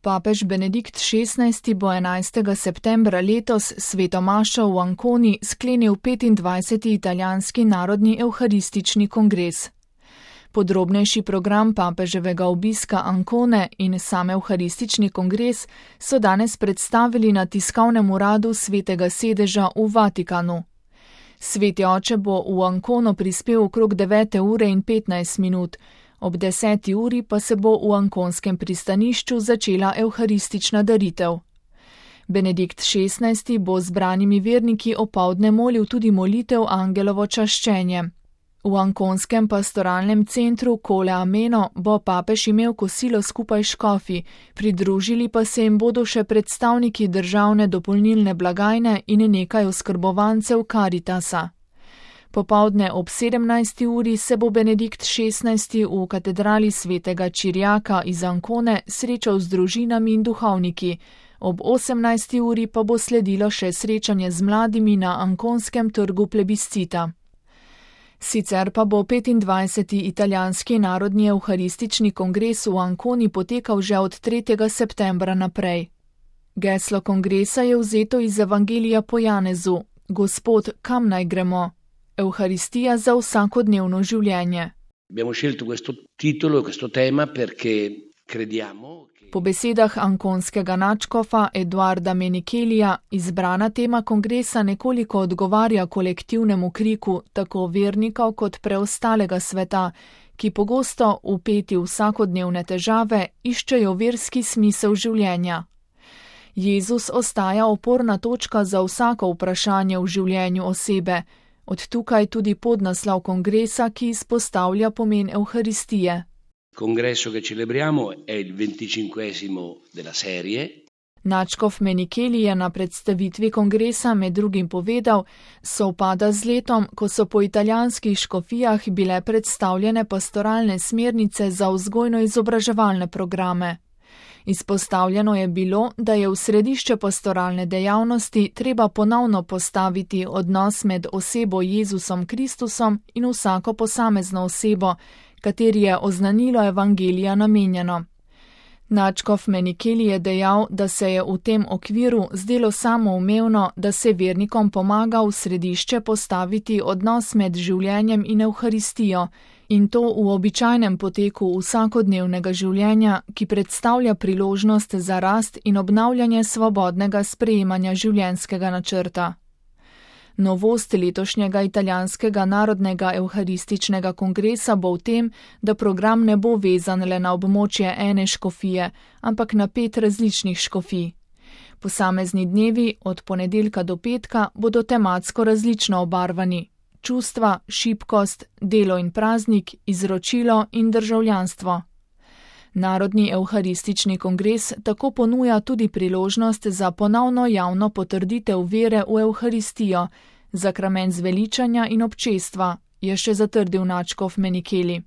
Papež Benedikt XVI bo 11. septembra letos sveto mašo v Anconi sklenil 25. italijanski narodni evharistični kongres. Podrobnejši program papeževega obiska Ancone in sam evharistični kongres so danes predstavili na tiskovnem uradu Svetega sedeža v Vatikanu. Sveti oče bo v Ancono prispel okrog 9:15, ob 10. uri pa se bo v anconskem pristanišču začela evharistična daritev. Benedikt XVI bo zbranimi verniki opoldne molil tudi molitev Angelovo čaščenje. V anconskem pastoralnem centru Colle Ameno bo papež imel kosilo skupaj s škofi, pridružili pa se jim bodo še predstavniki državne dopolnilne blagajne in nekaj oskrbovancev Caritasa. Popoldne ob 17. uri se bo Benedikt XVI v katedrali svetega Čirjaka iz Ancone srečal z družinami in duhovniki, ob 18. uri pa bo sledilo še srečanje z mladimi na anconskem trgu plebiscita. Sicer pa bo 25. italijanski narodni evharistični kongres v Anconi potekal že od 3. septembra naprej. Geslo kongresa je vzeto iz Evangelija po Janezu: Gospod, kam naj gremo? Evharistija za vsakodnevno življenje. Po besedah anconskega nadškofa Eduarda Menichelija izbrana tema kongresa nekoliko odgovarja kolektivnemu kriku tako vernikov kot preostalega sveta, ki pogosto vpeti v vsakodnevne težave iščejo verski smisel življenja. Jezus ostaja oporna točka za vsako vprašanje v življenju osebe, od tukaj tudi podnaslov kongresa, ki izpostavlja pomen Evharistije. Congresso che celebriamo è il 25esimo della serie. Nadškof Menicheli je na predstavitvi kongresa med drugim povedal, sovpada z letom, ko so po italijanskih škofijah bile predstavljene pastoralne smernice za vzgojno-izobraževalne programe. Izpostavljeno je bilo, da je v središče pastoralne dejavnosti treba ponovno postaviti odnos med osebo Jezusom Kristusom in vsako posamezno osebo, kateri je oznanilo evangelija namenjeno. Nadškof Menicheli je dejal, da se je v tem okviru zdelo samoumevno, da se vernikom pomaga v središče postaviti odnos med življenjem in Evharistijo, in to v običajnem poteku vsakodnevnega življenja, ki predstavlja priložnost za rast in obnavljanje svobodnega sprejemanja življenjskega načrta. Novost letošnjega italijanskega narodnega evharističnega kongresa bo v tem, da program ne bo vezan le na območje ene škofije, ampak na 5 različnih škofij. Posamezni dnevi od ponedeljka do petka bodo tematsko različno obarvani: čustva, šibkost, delo in praznik, izročilo in državljanstvo. Narodni evharistični kongres tako ponuja tudi priložnost za ponovno javno potrditev vere v Evharistijo, zakrament zveličanja in občestva, je še zatrdil nadškof Menicheli.